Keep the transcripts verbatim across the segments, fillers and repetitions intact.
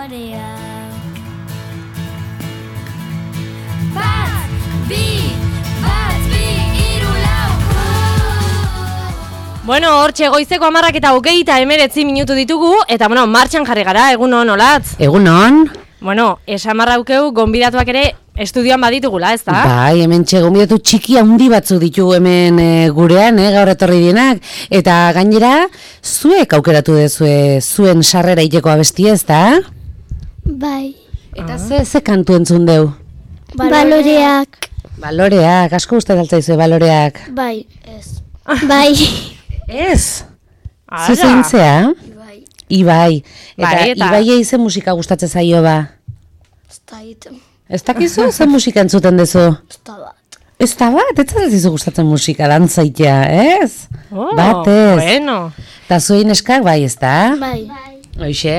balorea. Bat, bi, bat, bi, hiru, lau. Bueno, hortxe goizeko hamarrak eta hogeita emeretzi minutu ditugu, eta bueno, martxan jarri gara, egunon, olatz? Egunon. Bueno, esamarraukeu gonbidatuak ere estudioan baditugula, ez da? Bai, hemen txe gonbidatu txiki handi batzu ditugu hemen e, gurean, e, gaur etorri dienak. Eta gainera, zuek aukeratu dezue zuen sarrera iteko abestia, ez da? Bai. Eta ze, ze kantu entzun deu? Baloreak. Baloreak, asko uste daltzaizue baloreak. Bai. Ez. Bai. Ez? Ara. Zu zeintzea? Bai. Ibai. Eta, Bai, eta- Ibai eize musika gustatzen zaio ba? Ez da egiten. Ez dakizu, ze musika entzuten dezu? Ez da bat. Ez da bat, ez zazizu gustatzen musika, dantzaitea, ez? Oh, Bat ez. Bueno. Eta zuei neskak bai, ez da? Bai. Hoxe.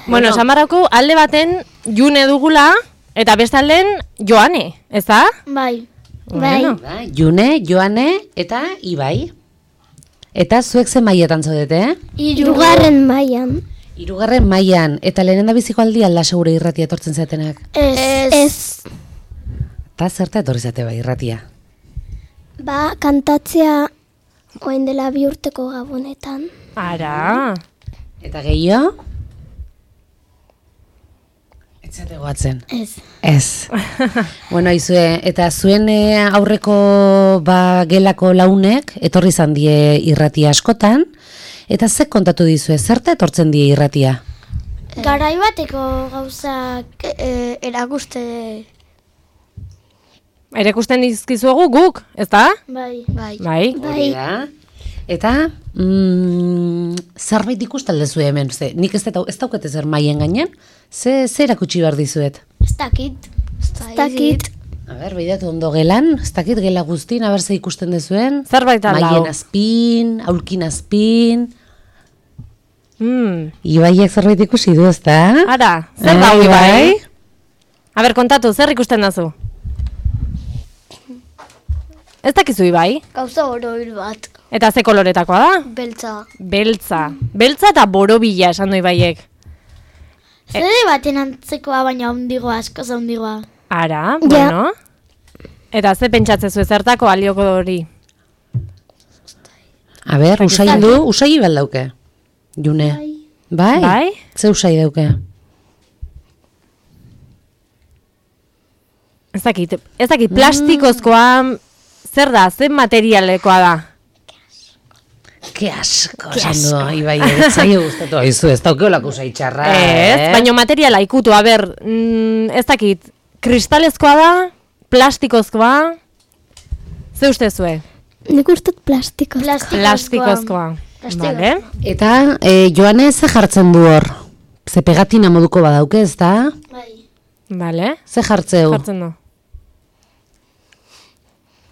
Bueno, esamarrauko alde baten June dugula, eta bestalden Joane, ez da? Bai. Bueno. Ba, June, Joane eta Ibai. Eta zuek ze mailetan zaudete, eh? Hirugarren mailan. Hirugarren mailan, eta lehenen da biziko aldi alda segure irratia etortzen zatenak. Ez. Ez. Eta zerta etorri zate bai irratia? Ba, kantatzea orain dela bi urteko gabonetan. Ara. Eta gehiago? Ez zate goatzen. Ez. Ez. Bueno, izue, eta zuen eh, aurreko ba, gelako launek etorri izan die irratia askotan, eta ze kontatu dizue, zerta etortzen die irratia? Garai bateko gauzak e, erakuste. Erekusten dizkizuegu guk, ez da? Bai. Bai. Bai. Hori da. Eta, mm, zerbait ikusten dezu hemen, ze, nik ez, eta, ez daukete zer maien gainen, ze, ze erakutsi behar dizuet? Ez dakit. Ez dakit. A ber, behidatu ondo gelan, ez dakit gela guztin, a ber ze ikusten dezuen? Zerbait aldau. Maien azpin, aulkin azpin, Mm. Ibaiek zerbait ikusi du, ez da? Ara, zer Eh, da hori bai? Ibai? A ber, kontatu, zer ikusten dazu? Ez dakizu Ibai? Gauza oroil bat. Eta ze koloretakoa da? Beltza. Beltza. Beltza eta borobila esan du Ibaiek. Zede baten antzekoa baina handigoa, asko handigoa. Ara, Ja. bueno. Eta ze pentsatzezu zertako alioko hori? A ber, usai du, usai baldauke. June. Bai? Bai? Ze usai dauke? Ez dakit, ez dakit, plastikozkoa, zer da, zer materialekoa da? Ke asko, esan du, Ibai, ez zaio gustatu haizu, ez daukeolako usai txarra, Ez, eh? baina materiala ikutu, a ber, mm, ez dakit, kristalezkoa da, plastikozkoa, ze ustezue? Nik uste plastiko. Plastikozkoa. Vale. Eta, e, Joane ze jartzen du hor? Ze pegatina moduko badauke, ez da? Bai. Vale. Ze jartzeu? Jartzen du.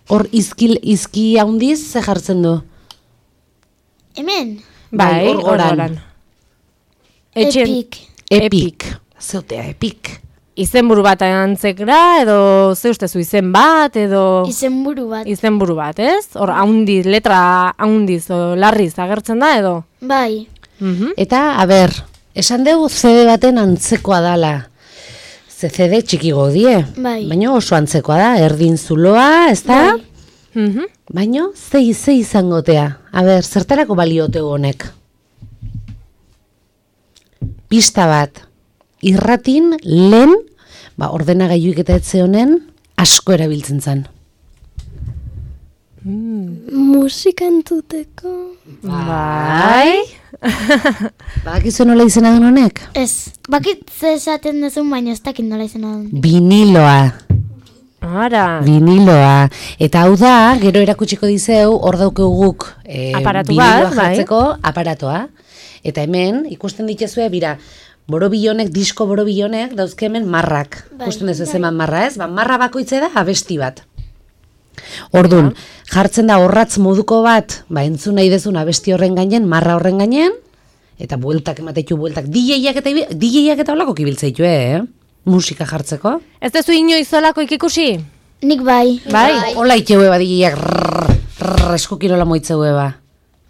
Hor izkil, izki handiz, ze jartzen du? Hemen. Bai, hor goran. goran. Etxen- Epik. Epik. Zeutea, epik. Izenburu bat antzekra, edo ze ustezu izen bat, edo Izenburu bat. izenburu bat, ez? Hor, haundiz, letra haundiz, o larriz agertzen da, edo? Bai. Mhm. Eta, a ber, esan dugu C D baten antzekoa dala. Ze C D txikigo die. Bai. Baina oso antzekoa da, erdin zuloa, ez da? Bai. Mhm. Baina, zei, zei izangotea. A ber, zertarako balioteu honek? Pista bat. Irratin, lehen, ba, ordenagailuik eta etze honen, asko erabiltzen zen. Musika entzuteko. Bai. Badakizu nola izena den honek? Ez. Bakit ze esaten duzun baina ez dakit nola izena duen. Viniloa. Ara. Viniloa. Eta hau da, gero erakutsiko dizeu, hor daukeu guk e, Aparatu viniloa bat, bai. jartzeko aparatoa. Eta hemen, ikusten dituzue, bira, borobilonek, disko borobilonek, dauzke hemen marrak. Bai. Ikusten ez eman marra ez? Ba, marra bakoitze da abesti bat. Ordun, jartzen da horratz moduko bat, ba, entzun nahi dezun abesti horren gainen, marra horren gainen, eta bueltak ematetu bueltak, D J-ak eta, D J-ak eta holako kibiltzeitu, eh? Musika jartzeko. Ez dezu inoiz zolako ikikusi? Nik bai. Bai. Hola iteue ba D J-ak eskukirola moitzeue ba.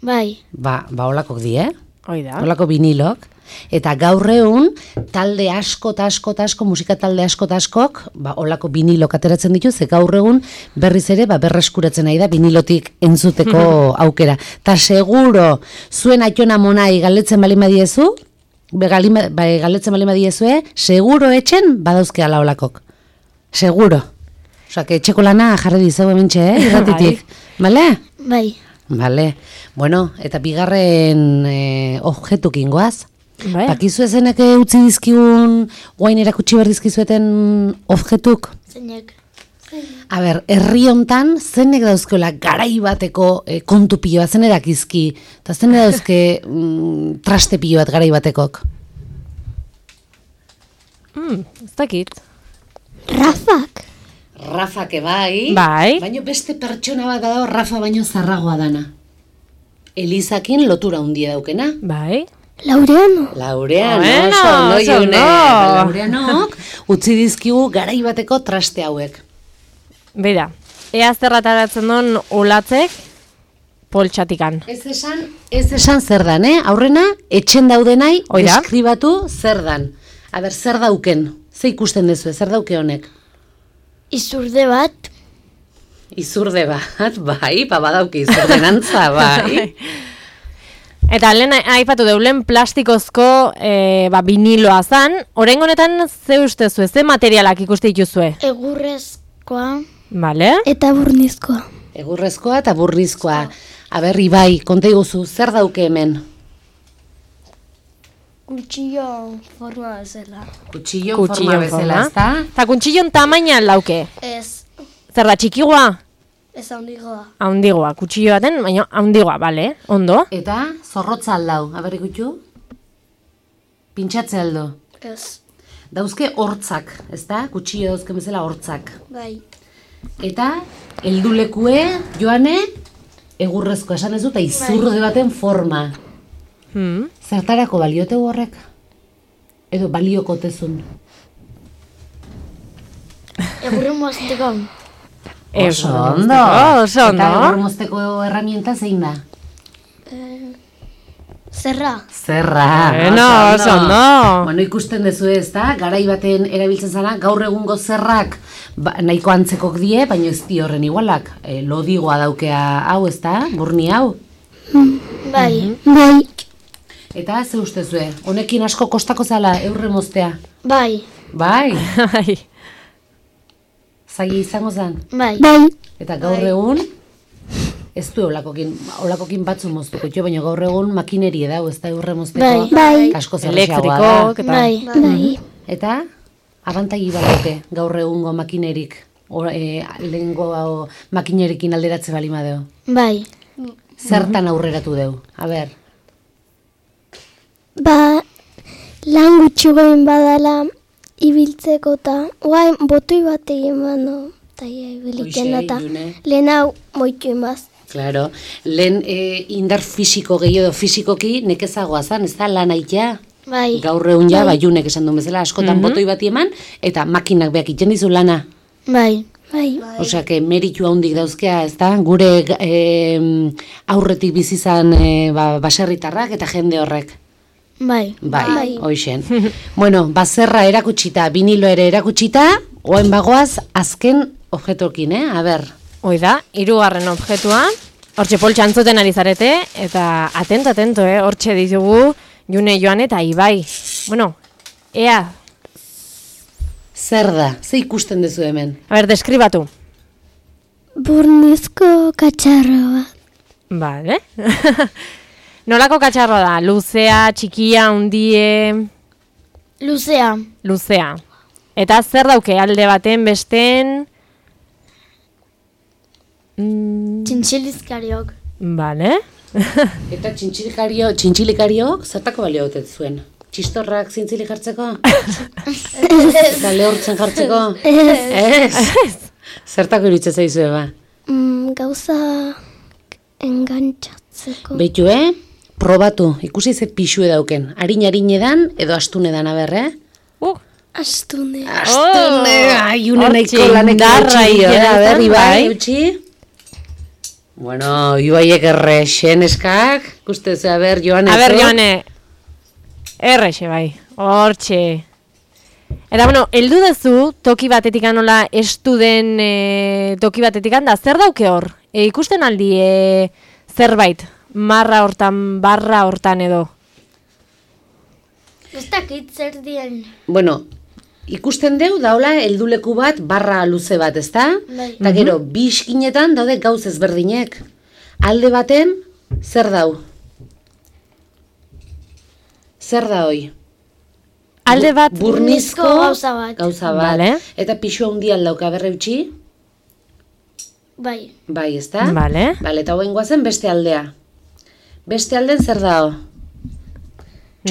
Bai. Ba, ba holakok di, eh? Hoi da. Holako vinilok. Eta gaur egun, talde asko eta asko eta asko, musika talde asko eta askok, ba, olako vinilok ateratzen ditu, ze gaur egun berriz ere, ba, berreskuratzen nahi da, vinilotik entzuteko aukera. Ta seguro, zuen aitona monai galdetzen bali madiezu, Begalima, bai, galetzen bali madiezue, seguro etxen badauzke ala olakok. Seguro. Osa, que etxeko lana jarri dizeu hementxe, eh, irratitik. Bale? Bai. Bale. Bueno, eta bigarren eh, objetukin goaz. Bai. Bakizu ezenek utzi dizkigun, guain erakutsi behar dizkizueten objetuk? Zeinek. A ber, herri hontan zenek dauzkeola garai bateko e, kontu pilo bat, zenek dakizki, eta zenek dauzke mm, traste pilo bat garai batekok. Mm, ez dakit. Rafak. Rafake bai, Bai. baino beste pertsona bat dago Rafa baino zarragoa dana. Elizakin lotura handia daukena. Bai. Laureano. Laureano, Bueno, oso ondo oso June. ondo. Laureanok utzi dizkigu garai bateko traste hauek. Beira, ea zerrataratzen duen olatzek poltsatikan. Ez esan, ez esan zer dan, eh? Aurrena, etxen daudenai, Hoi da. deskribatu zer dan. A ber, zer dauken? Ze ikusten dezu, zer dauke honek? Izurde bat. Izurde bat, bai, ba badauke izurdenantza, bai. Eta lehen aipatu deulen plastikozko e, ba, viniloa zan, orain honetan ze ustezue, ze materialak ikuste dituzue? Egurrezkoa. Vale? Eta burnizkoa. Egurrezkoa eta burrizkoa. A ber, Ibai, konta iguzu, zer dauke hemen? Kutxillo forma bezala. Kutxillon forma Kutxillon bezala, forma. ezta? Eta kuntxillon tamaina lauke. Ez. Zer da, txikigoa? Ez handigoa. Haundigoa, kutxillo baten, baina haundigoa, bale, ondo. Eta zorrotza aldau, a ber ikutxu? Pintxatze aldo. Ez. Dauzke hortzak, ezta? Kutxillo dauzke bezala hortzak. Bai. Eta heldulekue joane egurrezko esan ez dut, eta izurde baten forma. Hmm. Zertarako baliote horrek? Edo baliokotezun? Egurren mozteko. Oso ondo. Oso ondo. Eta egurmozteko herramienta zein da? Zerra. Zerra. Bueno, oso ondo. Bueno, ikusten dezu ez da, garai baten erabiltzen zara, gaur egungo zerrak ba, nahiko antzekok die, baina ez di horren igualak. E, lodigoa daukea hau, ez da, burni hau. Bai. Bai. Eta ze ustezue, honekin asko kostako zala eurre moztea? Bai. Bai, Bai. zaila izango zen. Bai. Bai. Eta gaur egun, ez du olakokin, olakokin batzu moztuko jo, baina gaur egun makinerie dau, ez da eurre mozteko. Bai. Bai. Asko zerrexagoa da. Elektrikok, eta... Bai. Bai. Eta, abantagi badauke gaur egungo makinerik, or, e, lehengo makinerikin alderatze bali madeo. Bai. Zertan aurreratu deu, a ber. Ba, lan gutxi goin badala ibiltzeko eta guain botoi bat egin bano, eta ibiliten Hoxe, eta June. lehen hau moitu imaz. Claro, lehen e, indar fisiko gehiago fisikoki nekezagoa zan, ez da lan aitea? Bai, Gaur egun ja, bai. Baiunek esan duen bezala, askotan botoi bati eman, eta makinak beak iten dizu lana. bai, bai, Osea, que meritu handik dauzkea, ez da? Gure e, aurretik bizizan e, ba, baserritarrak eta jende horrek. bai, Bai, hoixen. Bueno, bazerra erakutsita, vinilo ere erakutsita, oen bagoaz azken objetokin, eh? A ber. Hoi da, hirugarren objektua, hortxe poltsa antzuten ari zarete, eta atento, atento, eh? Hortxe ditugu June, Joan eta Ibai. Bueno, ea, Zer da? Ze ikusten duzu hemen? a ber, deskribatu. burnizko katxarro bat. Vale. Nolako katxarroa da? Luzea, txikia, hundie, Luzea. luzea. Eta zer dauke alde baten, besten... Mm, Txintxilizkariok. vale. Eta txintxilikario, txintxilikariok zertako balio otet zuen? Txistorrak zintzili jartzeko? Eta lehortzen jartzeko? Ez. Zertako iruditzen zaizue ba? Mm, gauza engantzatzeko. Beitu, eh? Probatu, ikusi ze pixue dauken. Arin-arin edan edo astun edan aber, eh? Uh, Astune. Astune, ai, une nahiko hortxe lanek indarra eutxi dio, eh? ikenetan, A ber, Ibai, bai. eutxi? Bueno, Ibaiek errexen eskak, ikuste zu, a ber, Joane. a ber, zu? Joane, Errexe bai, hortxe. Eta bueno, heldu dezu toki batetik anola estu den e, toki batetik da, zer dauke hor? E, ikusten aldi e, zerbait, marra hortan, barra hortan edo? Ez dakit zer dien. Bueno, ikusten deu daula helduleku bat barra luze bat, ezta? Bai. Eta gero, bi iskinetan daude gauz ezberdinek. Alde baten, zer dau? Zer da hoi? Alde bat, Burnizko gauza bat. Gauza bat. Vale. Eta pisu handi aldauka berre utzi? Bai. Bai, ezta? Vale. Vale, eta hoen guazen beste aldea. Beste alden zer dao? Ne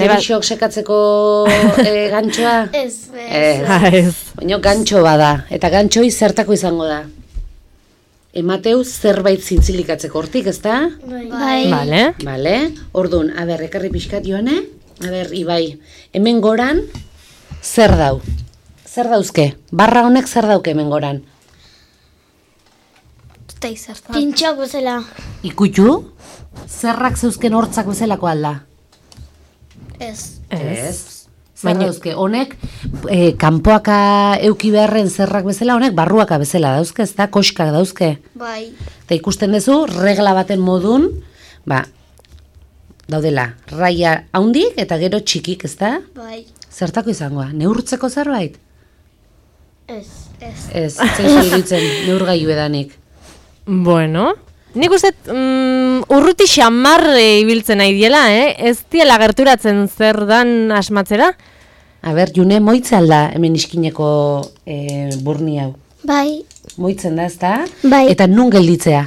bat- Txorixok sekatzeko e, gantxoa? Ez, Ez. Ah, ez. Baina gantxo bada, eta gantxoi zertako izango da? Emateu zerbait zintzilikatzeko hortik, ezta? Bai. Vale. Vale, orduan, a ber, ekarri pixkat joane, a ber, Ibai, hemen goran, zer dau? Zer dauzke? Barra honek zer dauke hemen goran? Eta izartan. Pintxok bezala. Ikutu? Zerrak zeuzken hortzak bezalako alda? Ez. Ez. Zer Baina- dauzke, honek, e, kanpoaka euki beharren zerrak bezala, honek barruaka bezala dauzke, ez da, koskak dauzke. Bai. Eta ikusten duzu, regla baten modun, ba, daudela, raia haundik eta gero txikik, ez da? Bai. Zertako izangoa, neurtzeko zerbait? Ez. Ez. Ez, zeizu iruditzen, neurgailu edanik. Bueno, nik uste mm, urruti xamar e, ibiltzen nahi diela, eh? Ez diela gerturatzen zer dan asmatzera? A ber, June, moitze alda hemen iskineko e, burni hau. Bai. Moitzen da, ez da? Bai. Eta nun gelditzea?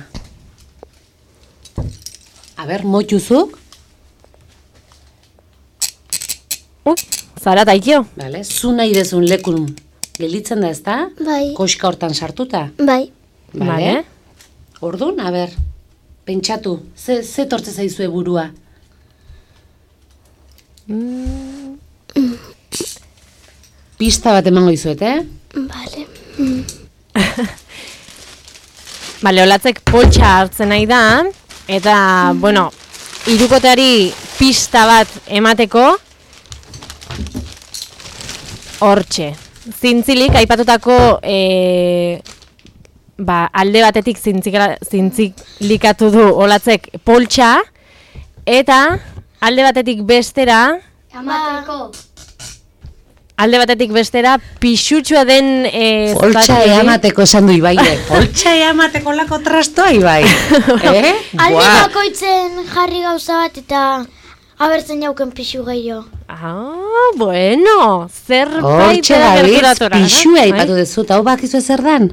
A ber, moituzuk? Ui, zara taikio. Vale, zu nahi dezun lekun gelditzen da, ez da? Bai. Koska hortan sartuta. Bai. Vale. Orduan, a ber, pentsatu, ze, ze tortze zaizue burua? Pista bat emango dizuet, eh? Vale. Bale, olatzek poltsa hartzen nahi da, eta, bueno, hirukoteari pista bat emateko, hortxe. Zintzilik, aipatutako, e, ba, alde batetik zintzika- zintzilikatu du olatzek poltsa, eta alde batetik bestera, Amateko. alde batetik bestera pixutsua den e, Poltsa zapatu hori. eamateko esan du Ibaire. Poltsa eamateko lako trastoa, Ibai. eh? Alde Buah. bakoitzen jarri gauza bat eta abertzen jauken pixu gehiago. Ah, bueno, zerbait Hortxe da gabiz, gerturatora. pixua Bai. aipatu duzu, eta hau bakizu zer dan?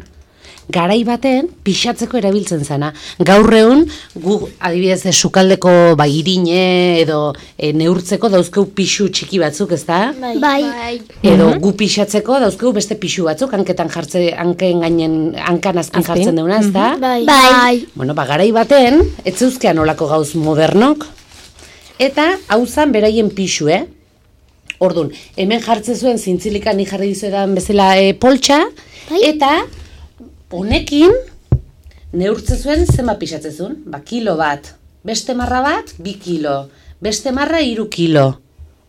Garai baten pixatzeko erabiltzen zana. Gaur egun, gu adibidez eh, sukaldeko ba, irine edo e, neurtzeko dauzkeu pixu txiki batzuk, ezta? Bai. Bai. Edo gu pixatzeko dauzkeu beste pixu batzuk, hanketan jartze, hanken gainen, hankan azpin Azpin. jartzen deuna, ezta? Bai. Bai. Bueno, ba, garai baten, ez zeuzkean olako gauz modernok, eta hau zan beraien pixu, eh? Orduan, hemen jartzen zuen zintzilikan ni jarri dizuedan bezala e, poltsa, Bai. eta honekin neurtzen zuen zenba pixatzen zuen? Ba, kilo bat, beste marra bat, bi kilo, beste marra, hiru kilo.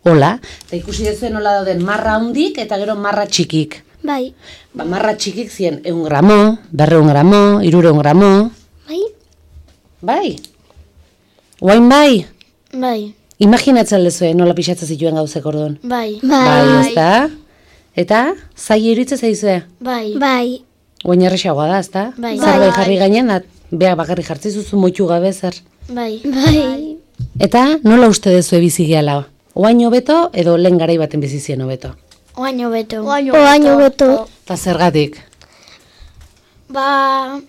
Hola, eta ikusi dezuen nola dauden marra handik eta gero marra txikik. Bai. Ba, marra txikik ziren eun gramo, berreun gramo, irureun gramo, Bai. bai. Oain bai, Bai. imaginatzen lezue nola pixatzen zituen gauzek orduan. Bai. Bai, ezta? Eta, zai iruditzen zaizue? Bai. Bai. Oain erresagoa da, ezta? Bai. Zerbait Bai. jarri gainen, da, beha bakarri jartzi zuzu moitu gabe zer. Bai. Bai. Eta, nola uste dezue bizi gehala? Oain hobeto edo lehen garai baten bizi ziren hobeto? Oain hobeto. Oain hobeto. Eta zergatik? Ba,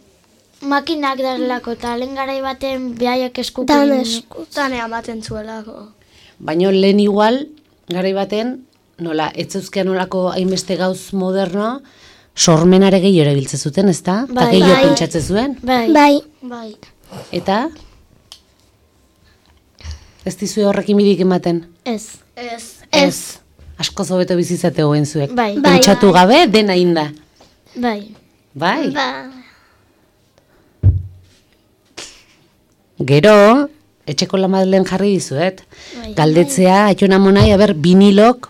makinak darlako eta lehen garai baten behaiak eskukin. Dan esku. Zane amaten zuelako. Baina lehen igual, garai baten, nola, ez zeuzkean nolako hainbeste gauz moderno, sormenare gehiago erabiltzen zuten, ezta? Eta Bai. gehiago Bai. pentsatzen zuen. Bai. Bai. Bai. Eta? Ez dizue horrekin bidik ematen? Ez. Ez. Ez. Asko hobeto bizitzate goen zuek. Bai. Pentsatu gabe, dena inda. Bai. Bai. Ba. Gero, etxeko lamadlen jarri dizuet. Galdetzea, aiton amonai, aber, vinilok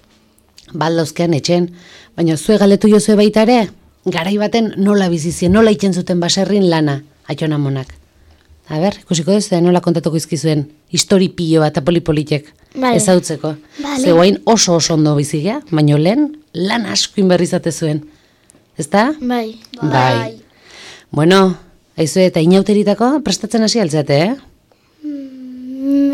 baldauzkean etxen. Baina zue galdetu jozue baita ere, garai baten nola bizizien, nola itzen zuten baserrin lana, aiton amonak. A ber, ikusiko duzu da nola kontatuko izkizuen, histori pilo bat apolipolitek Vale. ezautzeko. Vale. Ze guain oso oso ondo bizigea, baina lehen lan asko inberrizate zuen. Ezta? Bai. Bai. Bueno, aizu eta inauteritako prestatzen hasi altzate, eh?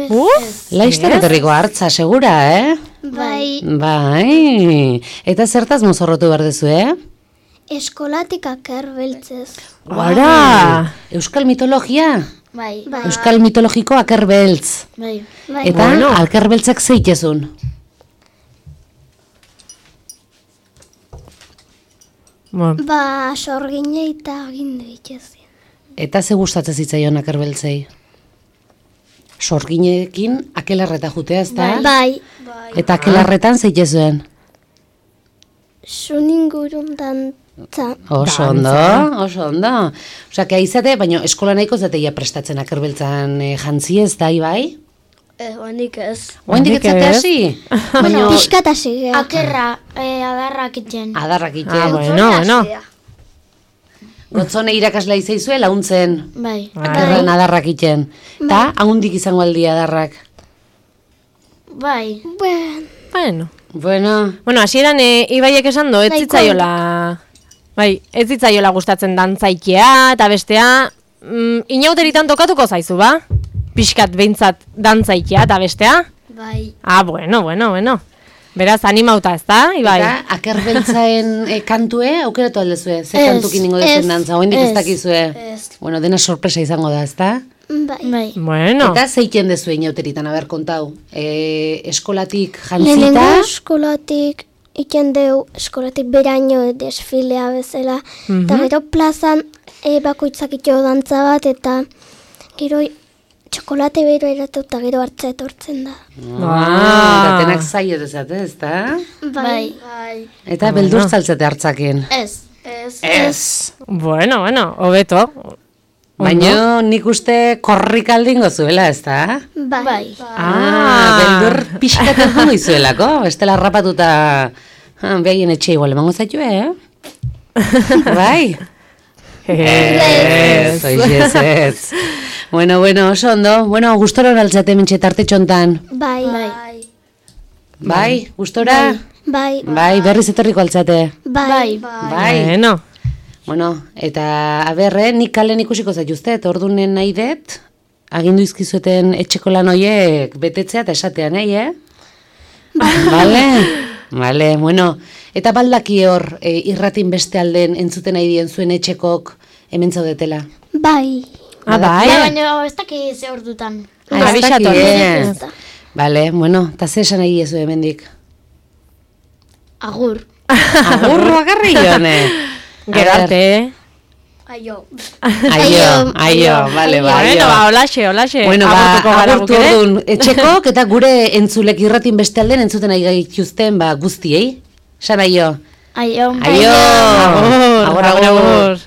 Uh, Laizter etorriko hartza, segura, eh? Bai, Bai. Eta zertaz mozorrotu behar duzu, eh? eskolatik akerbeltzez. Ara! Euskal mitologia. Bai. Euskal mitologiko akerbeltz. Bai. Bai. Eta Bueno. akerbeltzak zeitezun. Bueno, Ba, sorgine eta agindu itxezien. Eta ze gustatzen zitzaion akerbeltzei? Sorginekin akelarreta jutea, ezta? Bai, Eta akelarretan zeitezuen. zun ingurun dantza. Oso ondo, oso ondo. Osea, que aizate, baina eskola nahiko zateia prestatzen akerbeltzan e, jantzi ez da, bai? Eh, honik ez. Oendik Handik etzate ez. hasi? Baina Piskat hasi geha. Akerra, eh, adarrak itzen. adarrak ite. ah, bueno, bueno. Gotzone irakaslea izaizue launtzen. Bai. Akerran adarrak iten. Ta, haundik izango aldi adarrak. Bai. Bueno, Bueno. Bueno, Bueno, hasieran e, Ibaiek esan do, ez Nahiko zitzaiola... Bai, ez zitzaiola gustatzen dantzaikia eta bestea... Mm, inauteritan tokatuko zaizu, ba? Pixkat behintzat dantzaikia eta bestea? Bai. Ah, bueno, bueno, bueno. Beraz, animauta ez da, Ibai? eta akerbeltzaen e, kantue, aukeratu aldezue, ze Ez, kantukin ingo dezen ez, dantza, oendik ez ez, dakizue. ez. Bueno, dena sorpresa izango da, ezta? bai. Bai. Bueno, Eta zeiten dezu inauteritan, aber, kontau. E, eskolatik Lehenengo jantzita, eskolatik iken deu eskolatik beraino desfilea bezala. Eta gero plazan e, bakoitzak ito dantza bat eta gero txokolate bero eratu eta gero hartza etortzen da. ah, eta denak zaio dezate, ezta? Bai. Bai. Eta beldur zaltzate hartzakin. Ez. Ez. Ez. bueno, bueno, hobeto. Baina nik uste korrikaldingo zuela, ezta? Bai. Bai. Ah, beldur pixkaten jongo izuelako, bestela rapatuta ah, behaien etxe igual emango zaitue, eh? Bai? Ez, oiz, ez. Bueno, bueno, oso ondo. Bueno, gustora horaltzate mentxe tarte txontan. Bai. Bai. Bai, gustora? Bai. Bai, berriz etorriko altzate. Bai. Bai. Bueno, Bueno, eta aberre, nik kalen ikusiko zaituztet, ordunen nahi dut, agindu izkizueten etxeko lan hoiek betetzea eta esatean, nahi, eh? Vale? Vale, bueno. Eta baldaki hor, e, irratin beste alden entzuten nahi dien zuen etxekok hemen zaudetela. Bai. ah, bai. Ja, baina ez daki ze ordutan. Ah, ez Abisatu, daki, eh? eh? Vale, bueno, eta ze esan nahi diezu hemendik. Agur. Agurro agarri jone. Gero arte. Aio. Aio, aio, vale, ba, Bueno, aio. ba, olaxe, olaxe. Bueno, ba, Agurtuko gara agurtu guk ere. orduan etxekok eta gure entzulek irratin beste alden entzuten nahi gaituzten ba guztiei. Esan aio. Aio. Aio. Agur, Agur, agur, agur. agur.